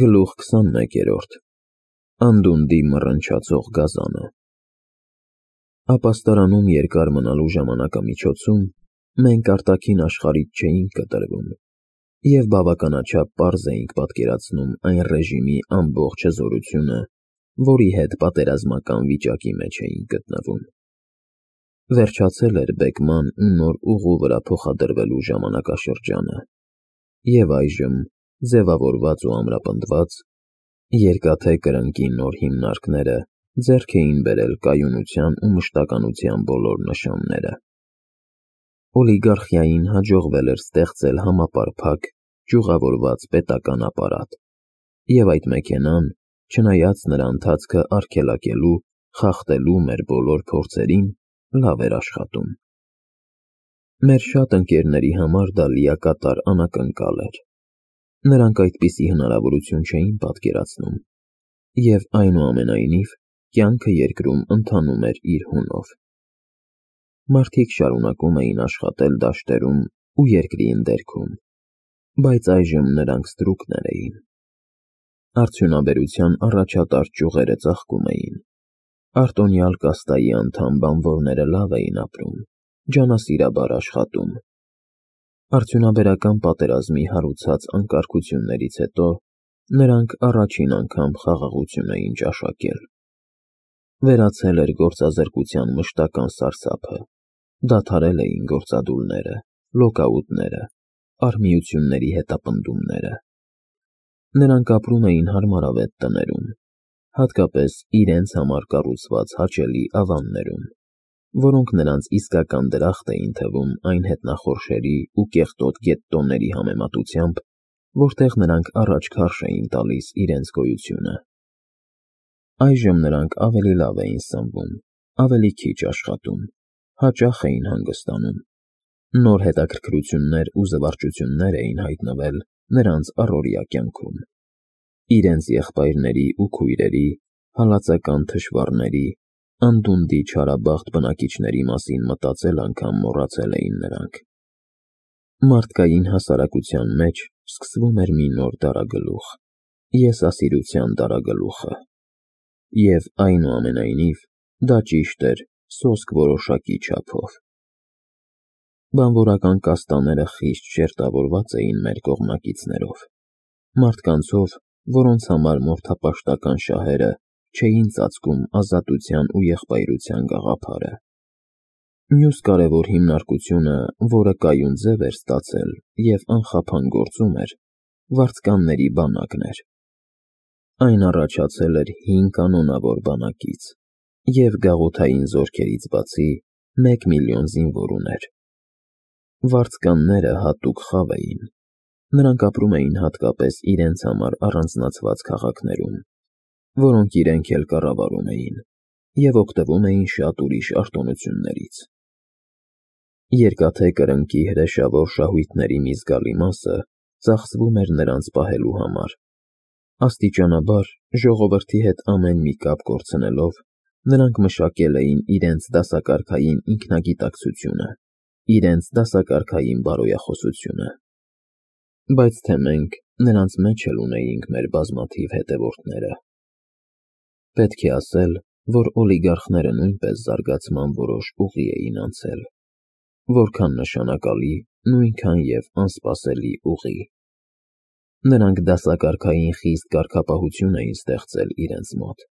Գլուխ 21 Անդունդի մռնչացող գազանը։ Ապաստարանում երկար մնալու ժամանակամիջոցում մենք արտաքին աշխարհից չէինք կտրվում և բավականաչափ պարզ էինք պատկերացնում այն ռեժիմի ամբողջ հզորությունը, որի հետ պատերազմական վիճակի մեջ էինք գտնվում։ Վերջացել էր բեկման ու նոր ուղու վրա փոխադրվելու ժամանակաշրջանը, և այժմ, ձևավորված ու ամրապնդված, երկաթե կրնկի նոր հիմնարկները ձեռք էին բերել կայունության ու մշտականության բոլոր նշանները։ Օլիգարխիային հաջողվել էր ստեղծել համապարփակ, ճյուղավորված պետական ապարատ, և այդ մեքենան, չնայած նրա ընթացքը արգելակելու, խախտելու մեր բոլոր փորձերին, լավ էր աշխատում։ Մեր շատ ընկերների համար դա լիակատար անակնկալ էր։ Նրանք այդպիսի հնարավորություն չէին պատկերացնում, և այնուամենայնիվ կյանքը երկրում ընթանում էր իր հունով։ Մարդիկ շարունակում էին աշխատել դաշտերում ու երկրի ընդերքում, բայց այժմ նրանք ստրուկներ էին։ Արդյունաբերության առաջատար ճյուղերը ծաղկում էին։ Արտոնյալ կաստայի անդամ բանվորները լավ էին ապրում, ջանասիրաբար աշխատում։ Արդյունաբերական պատերազմի հարուցած անկարգություններից հետո նրանք առաջին անգամ խաղաղություն էին ճաշակել։ Վերացել էր գործազրկության մշտական սարսափը, դադարել էին գործադուլները, լոկաուտները, արհմիությունների հետապնդումները։ Նրանք ապրում էին հարմարավետ տներում, հատկապես իրենց համար կառուցված հաճելի ավաններում, որոնք նրանց իսկական դրախտ էին թվում այն հետնախորշերի ու կեղտոտ գետտոների համեմատությամբ, որտեղ նրանք առաջ քարշ էին տալիս իրենց գոյությունը։ Այժմ նրանք ավելի լավ էին սնվում, ավելի քիչ աշխատում, հաճախ էին հանգստանում։ Նոր հետաքրքրություններ ու զվարճություններ էին հայտնվել նրանց առօրյա կյանքում։ Իրենց եղբայրների ու քույրերի, հալածական թշվառների, Անդունդի չարաբախտ բնակիչների մասին մտածել անգամ մոռացել էին նրանք։ Մարդկային հասարակության մեջ սկսվում էր մի նոր դարագլուխ՝ եսասիրության դարագլուխը։ Եվ այնուամենայնիվ, դա ճիշտ էր սոսկ որոշակի չափով։ Բանվորական կաստաները խիստ շերտավորված էին մեր կողմնակիցներով, մարդկանցով, որոնց համար մորթապաշտական շահերը չէին ծածկում ազատության ու եղբայրության գաղափարը։ Մյուս կարևոր հիմնարկությունը, որը կայուն ձև էր ստացել և անխափան գործում էր, վարձկանների բանակն էր։ Այն առաջացել էր 5 կանոնավոր բանակից և գաղութային զորքերից բացի 1 միլիոն զինվոր ուներ։ Վարձկանները հատուկ խավ էին։ Նրանք ապրում էին հատկապես իրենց համար առանձնացված քաղաքներում, որոնք իրենք էլ կառավարում էին, և օգտվում էին շատ ուրիշ արտոնություններից։ Երկաթե կրնկի հրեշավոր շահույթների մի զգալի մասը ծախսվում էր նրանց պահելու համար։ Աստիճանաբար, ժողովրդի հետ ամեն մի կապ կորցնելով, նրանք մշակել էին իրենց դասակարգային ինքնագիտակցությունը, իրենց դասակարգային բարոյախոսությունը։ Բայց թե մենք նրանց մեջ էլ ունեինք մեր բազմաթիվ հետևորդները։ Պետք է ասել, որ օլիգարխները նույնպես զարգացման որոշ ուղի էին անցել, որքան նշանակալի, նույնքան և անսպասելի ուղի։ Նրանք դասակարգային խիստ կարգապահություն էին ստեղծել իրենց մոտ։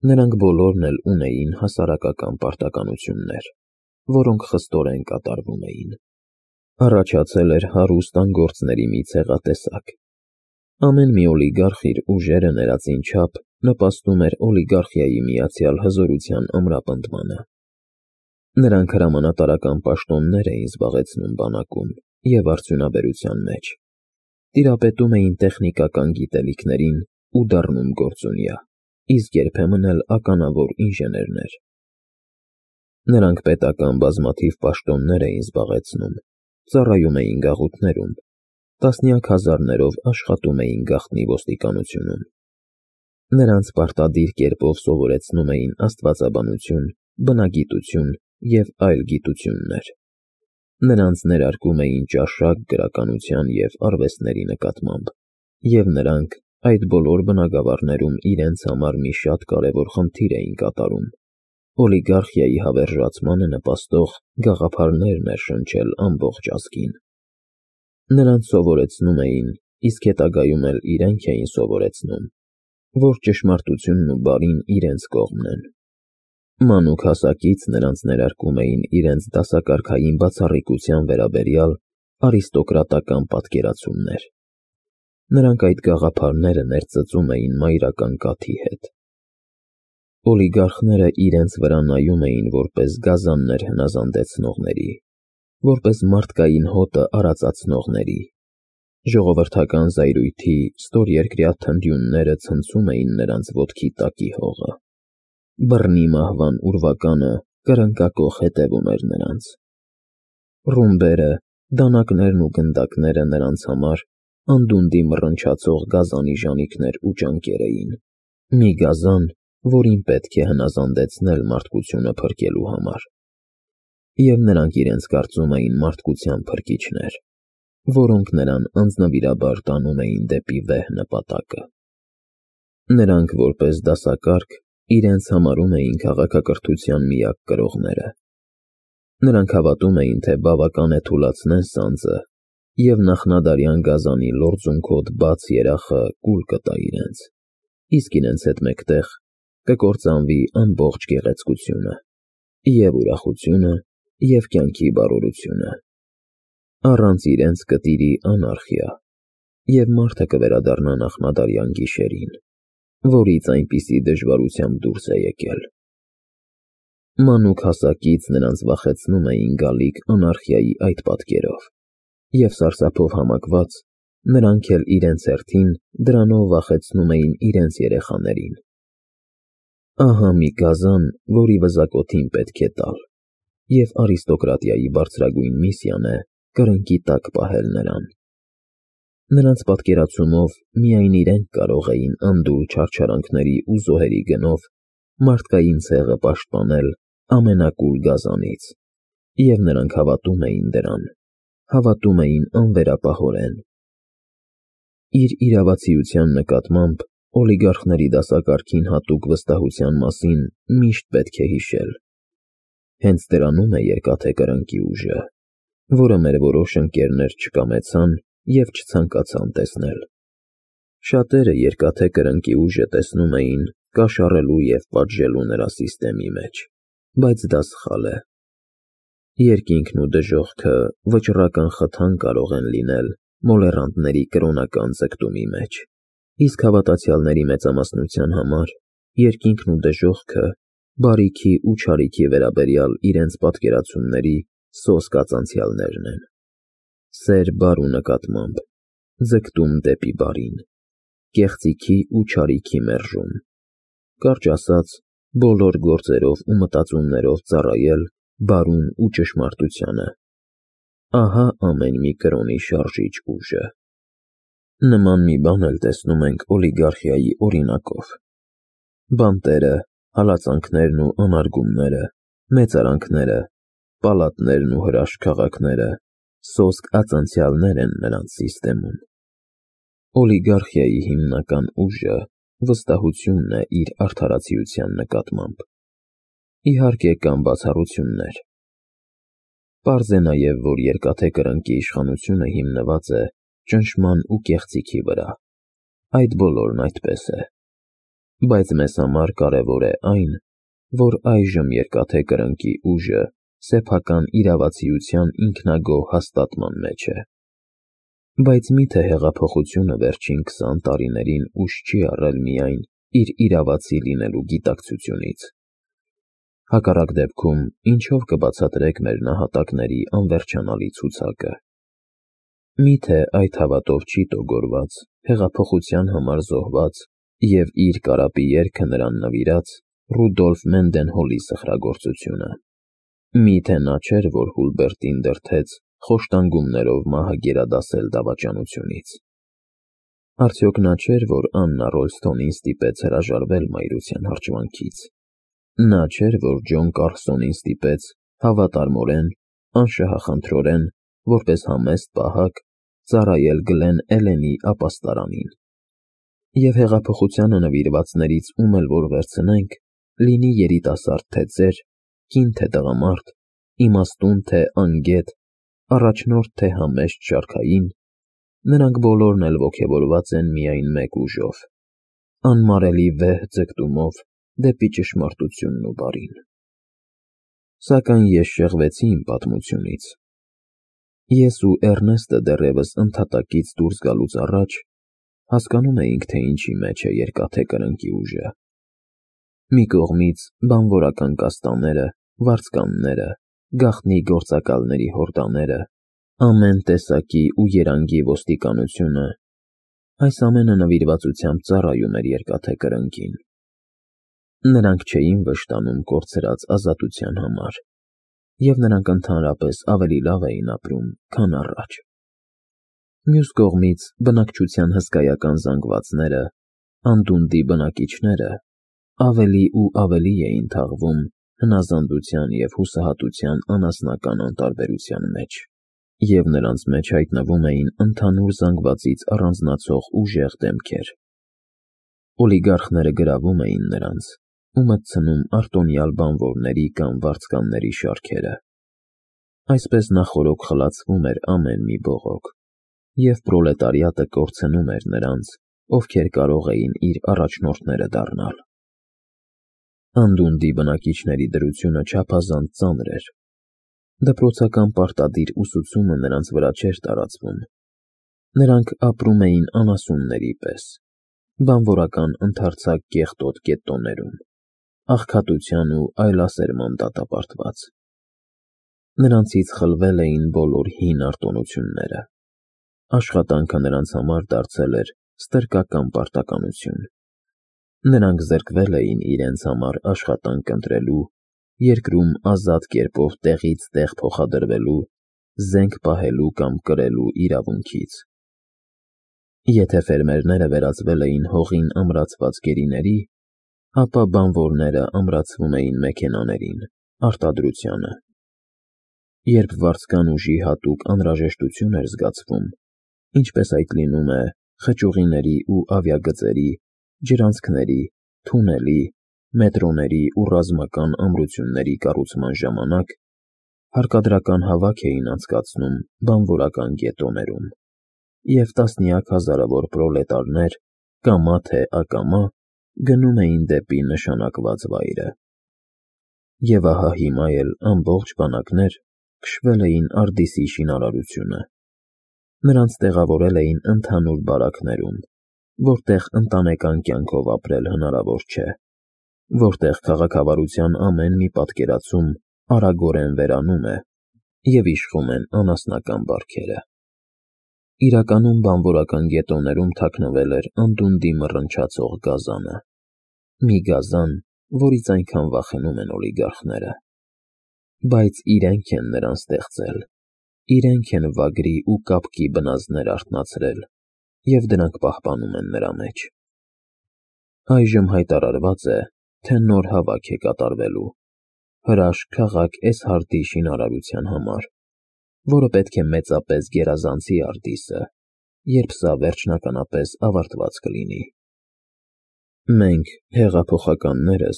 Նրանք բոլորն էլ ունեին հասարակական պարտականություններ, որոնք խստորեն կատարվում էին։ Առաջացել էր հարուստ անգործների մի ցեղատեսակ։ Ամեն մի օլիգարխ իր ուժերը ներածին չափ նպաստում էր օլիգարխիայի միացյալ հզորության ամրապնդմանը։ Նրանք հրամանատարական պաշտոններ էին զբաղեցնում բանակում և արդյունաբերության մեջ, տիրապետում էին տեխնիկական գիտելիքներին ու դառնում գործունյա, իսկ երբեմն էլ ականավոր ինժեներներ։ Նրանք պետական բազմաթիվ պաշտոններ էին զբաղեցնում, ծառայում էին գաղութներում, տասնյակ հազարներով աշխատում էին գաղտնի ոստիկանությունում։ Նրանց պարտադիր կերպով սովորեցնում էին աստվածաբանություն, բնագիտություն և այլ գիտություններ։ Նրանց ներարկում էին ճաշակ գրականության և արվեստների նկատմամբ, և նրանք այդ բոլոր բնագավառներում իրենց համար մի շատ կարևոր խնդիր էին կատարում. օլիգարխիայի հավերժացմանը նպաստող գաղափարներ ներշնչել ամբողջ ազգին։ Նրանց սովորեցնում էին, իսկ հետագայում էլ իրենք էին սովորեցնում, որ ճշմարտությունն ու բարին իրենց կողմն են։ Մանուկ հասակից նրանց ներարկում էին իրենց դասակարգային բացառիկության վերաբերյալ արիստոկրատական պատկերացումներ։ Նրանք այդ գաղափարները ներծծում էին մայրական կաթի հետ։ Օլիգարխները իրենց վրա նայում էին որպես գազաններ հնազանդեցնողների, որպես մարդկային հոտը արածացնողների։ Ժողովրդական զայրույթի ստորերկրյա թնդյունները ցնցում էին նրանց ոտքի տակի հողը։ Բռնի մահվան ուրվականը կրնկակոխ հետևում էր նրանց։ Ռումբերը, դանակներն ու գնդակները նրանց համար անդունդի մռնչացող գազանի ժանիքներ ու ճանկեր էին։ Մի գազան, որին պետք է հնազանդեցնել մարդկությունը փրկելու համար։ Եվ նրանք իրենց կարծում էին մարդկության փրկիչներ, որոնք նրան անձնվիրաբար տանում էին դեպի վեհ նպատակը։ Նրանք որպես դասակարգ իրենց համարում էին քաղաքակրթության միակ կրողները։ Նրանք հավատում էին, թե բավական է թուլացնեն սանձը, և նախնադարյան գազանի լորձունքոտ բաց երախը կուլ կտա իրենց, իսկ իրենց հետ մեկտեղ կկործանվի ամբողջ գեղեցկությունը, և ուրախությունը, և կյանքի բարօրությունը։ Առանց իրենց կտիրի անարխիա, և մարդը կվերադառնա նախնադարյան գիշերին, որից այնպիսի դժվարությամբ դուրս է եկել։ Մանուկ հասակից նրանց վախեցնում էին գալիք անարխիայի այդ պատկերով, և սարսափով համակված նրանք էլ իրենց հերթին դրանով վախեցնում էին իրենց երեխաներին։ Ահա մի գազան, որի վզակոթին պետք է տալ, և արիստոկրատիայի բարձրագույն միսիան է կրնկի տակ պահել նրան։ Նրանց պատկերացումով միայն իրենք կարող էին անդուր չարչարանքների ու զոհերի գնով մարդկային ցեղը պաշտպանել ամենակուլ գազանից, և նրանք հավատում էին դրան, հավատում էին անվերապահորեն։ Իր իրավացիության նկատմամբ օլիգարխների դասակարգին հատուկ վստահության մասին միշտ պետք է հիշել։ Հենց դրանում է երկաթե կրնկի ուժը, որը մեր որոշ ընկերներ չկամեցան և չցանկացան տեսնել։ Շատերը երկաթե կրնկի ուժը տեսնում էին կաշառելու և պատժելու նրա սիստեմի մեջ, բայց դա սխալ է։ Երկինքն ու դժոխքը վճռական խթան կարող են լինել մոլեռանդների կրոնական ձգտումի մեջ, իսկ հավատացյալների մեծամասնության համար երկինքն ու դժոխքը բարիքի ու չարիքի վերաբերյալ իրենց պատկերացումների սոսկ ածանցյալներն են։ Սեր բարու նկատմամբ, ձգտում դեպի բարին, կեղծիքի ու չարիքի մերժում, կարճ ասած, բոլոր գործերով ու մտածումներով ծառայել բարուն ու ճշմարտությանը։ Ահա ամեն մի կրոնի շարժիչ ուժը։ Նման մի բան էլ տեսնում ենք օլիգարխիայի օրինակով։ Բանտերը, հալածանքներն ու անարգումները, մեծարանքները, պալատներն ու հրաշք քաղաքները սոսկ ածանցյալներ են նրանց սիստեմում։ Օլիգարխիայի հիմնական ուժը վստահությունն է իր արդարացիության նկատմամբ։ Իհարկե կան բացառություններ։ Պարզ է նաև, որ երկաթե կրնկի իշխանությունը հիմնված է ճնշման ու կեղծիքի վրա։ Այդ բոլորն այդպես է։ Բայց մեզ համար կարևոր է այն, որ այժմ երկաթե կրնկի ուժը սեփական իրավացիության ինքնագոհ հաստատման մեջ է։ Բայց մի՞թե հեղափոխությունը վերջին 20 տարիներին ուժ չի առել միայն իր իրավացի լինելու գիտակցությունից։ Հակառակ դեպքում ինչով կբացատրեք մեր նահատակների անվերջանալի ցուցակը։ Մի՞թե այդ հավատով չի տոգորված, հեղափոխության համար զոհված և իր կարապի երգը նրան նվիրած Ռուդոլֆ Մենդենհոլի սխրագործությունը։ Մի՞թե նա չէր, որ Հուլբերտին դրդեց խոշտանգումներով մահը գերադասել դավաճանությունից։ Արդյոք նա չէր, որ Աննա Ռոլսթոնին ստիպեց հրաժարվել մայրության հրճվանքից։ Նա չէր, որ Ջոն Կարլսոնին ստիպեց հավատարմորեն, անշահախնդրորեն, որպես համեստ պահակ, ծառայել Գլեն Էլենի ապաստարանին։ Եվ հեղափոխությանը նվիրվածներից ում էլ որ վերցնենք, լինի երիտասարդ թե ծեր, կին թե տղամարդ, իմաստուն թե անգետ, առաջնորդ թե համեստ շարքային, նրանք բոլորն էլ ոգևորված են միայն մեկ ուժով, անմարելի վեհ ձգտումով դեպի ճշմարտությունն ու բարին։ Սակայն ես շեղվեցի իմ պատմությունից։ Ես ու Էռնեստը դեռևս ընդհատակից դուրս գալուց առաջ հասկանում էինք, թե ինչի մեջ է երկաթե կրնկի ուժը։ Մի կողմից բանվորական կաստաները, վարձկանները, գաղտնի գործակալների հորդաները, ամեն տեսակի ու երանգի ոստիկանությունը, այս ամենը նվիրվածությամբ ծառայում էր երկաթե կրնկին։ Նրանք չէին վշտանում կորցրած ազատության համար, և նրանք ընդհանրապես ավելի լավ էին ապրում, քան առաջ։ Մյուս կողմից բնակչության հսկայական զանգվածները, անդունդի բնակիչները ավելի ու ավելի էին թաղվում հնազանդության և հուսահատության անասնական անտարբերության մեջ, և նրանց մեջ հայտնվում էին ընդհանուր զանգվածից առանձնացող ուժեղ դեմքեր։ Օլիգարխները գրավում էին նրանց ու մտցնում արտոնյալ բանվորների կամ վարձկանների շարքերը։ Այսպես նախօրոք խլացվում էր ամեն մի բողոք, և պրոլետարիատը կորցնում էր նրանց, ովքեր կարող էին իր առաջնորդները դառնալ։ Անդունդի բնակիչների դրությունը չափազանց ծանր էր։ Դպրոցական պարտադիր ուսուցումը նրանց վրա չէր տարածվում։ Նրանք ապրում էին անասունների պես, բանվորական ընդարձակ կեղտոտ գետտոներում, աղքատության ու այլասերման դատապարտված։ Նրանցից խլվել էին բոլոր հին արտոնությունները։ Աշխատանքը նրանց համար դարձել էր ստրկական պարտականություն։ Նրանք զրկվել էին իրենց համար աշխատանք ընտրելու, երկրում ազատ կերպով տեղից տեղ փոխադրվելու, զենք պահելու կամ կրելու իրավունքից։ Եթե ֆերմերները վերածվել էին հողին ամրացված գերիների, ապա բանվորները ամրացվում էին մեքենաներին, արտադրությանը։ Երբ վարձկան ուժի հատուկ անհրաժեշտություն էր զգացվում, ինչպես այդ լինում է խճուղիների ու ավիագծերի, ջրանցքների, թունելի, մետրոների ու ռազմական ամրությունների կառուցման ժամանակ, հարկադրական հավաք էին անցկացնում բանվորական գետտոներում, և տասնյակ հազարավոր պրոլետարներ, կամա թե ակամա, գնում էին դեպի նշանակված վայրը։ Եվ ահա հիմա էլ ամբողջ բանակներ քշվել էին Արդիսի շինարարությունը։ Նրանց տեղավորել էին ընդհանուր բարակներում, որտեղ ընտանեկան կյանքով ապրել հնարավոր չէ, որտեղ քաղաքավարության ամեն մի պատկերացում արագորեն վերանում է, և իշխում են անասնական բարքերը։ Իրականում բանվորական գետտոներում թաքնվել էր անդունդի մռնչացող գազանը, մի գազան, որից այնքան վախենում են օլիգարխները։ Բայց իրենք են նրան ստեղծել, իրենք են վագրի ու կապկի բնազդներ արթնացրել, և դրանք պահպանում են նրա մեջ։ Այժմ հայտարարված է, թե նոր հավաք է կատարվելու, հրաշք քաղաք Էսհարդի շինարարության համար, որը պետք է մեծապես գերազանցի Արդիսը, երբ սա վերջնականապես ավարտված կլինի։ Մենք, հեղափոխականներս,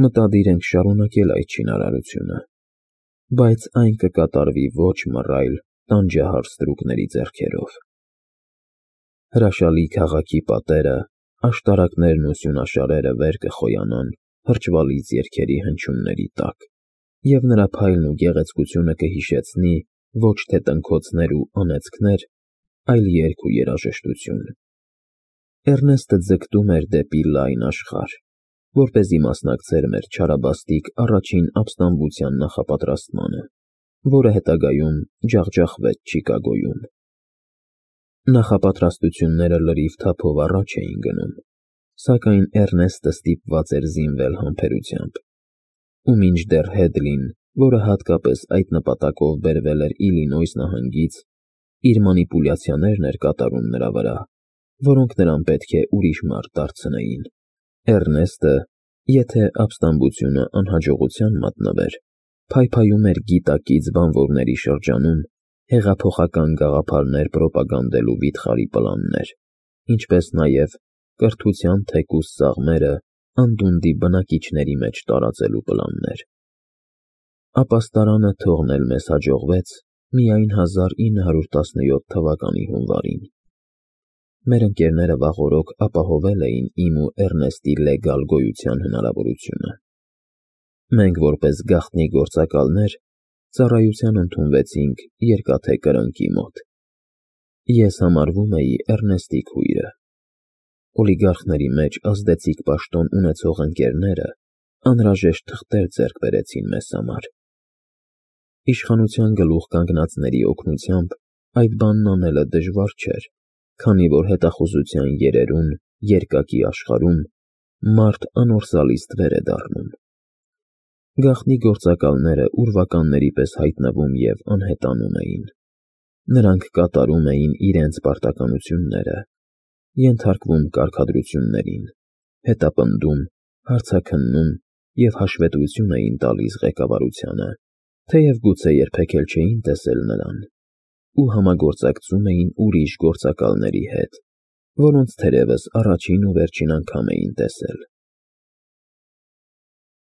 մտադիր ենք շարունակել այդ շինարարությունը, բայց այն կկատարվի ոչ մռայլ, տանջահար ստրուկների ձեռքերով։ Հրաշալի քաղաքի պատերը, աշտարակներն ու սյունաշարերը վեր կխոյանան հրճվալից երգերի հնչյունների տակ, և նրա փայլն ու գեղեցկությունը կհիշեցնի ոչ թե տնքոցներ ու անեծքներ, այլ երգ ու երաժշտություն։ Էռնեստը ձգտում էր դեպի լայն աշխարհ, որպեսզի մասնակցեր մեր չարաբաստիկ առաջին ապստամբության նախապատրաստմանը, որը հետագայում ջախջախվեց Չիկագոյում։ Նախապատրաստությունները լրիվ թափով առաջ էին գնում, սակայն Էռնեստը ստիպված էր զինվել համբերությամբ, ու մինչդեռ Հեդլին, որը հատկապես այդ նպատակով բերվել էր Իլինոյս նահանգից, իր մանիպուլյացիաներն էր կատարում նրա վրա, որոնք նրան պետք է ուրիշ մարդ դարձնեին, Էռնեստը, եթե ապստամբությունը անհաջողության մատնվեր, փայփայում էր գիտակից բանվորների շրջանում հեղափոխական գաղափարներ պրոպագանդելու վիթխարի պլաններ, ինչպես նաև կրթության թեկուզ սաղմերը անդունդի բնակիչների մեջ տարածելու պլաններ։ Ապաստարանը թողնել մեզ հաջողվեց միայն 1917 թվականի հունվարին։ Մեր ընկերները վաղօրոք ապահովել էին իմ ու Էռնեստի լեգալ գոյության հնարավորությունը։ Մենք որպես գաղտնի գործակալներ ծառայության ընդունվեցինք Երկաթե կրնկի մոտ։ Ես համարվում էի Էռնեստի քույրը։ Օլիգարխների մեջ ազդեցիկ պաշտոն ունեցող ընկերները անհրաժեշտ թղթեր ձեռք բերեցին մեզ համար։ Իշխանության գլուխ կանգնածների օգնությամբ այդ բանն անելը դժվար չէր, քանի որ հետախուզության երերուն, երկակի աշխարհում մարդ անորսալի ստվեր է դառնում։ Գաղտնի գործակալները ուրվականների պես հայտնվում և անհետանում էին։ Նրանք կատարում էին իրենց պարտականությունները, ենթարկվում կարգադրություններին, հետապնդում, հարցաքննում և հաշվետվություն էին տալիս ղեկավարությանը, թեև գուցե երբեք էլ չէին տեսել նրան, ու համագործակցում էին ուրիշ գործակալների հետ, որոնց թերևս առաջին ու վերջին անգամ էին տեսել։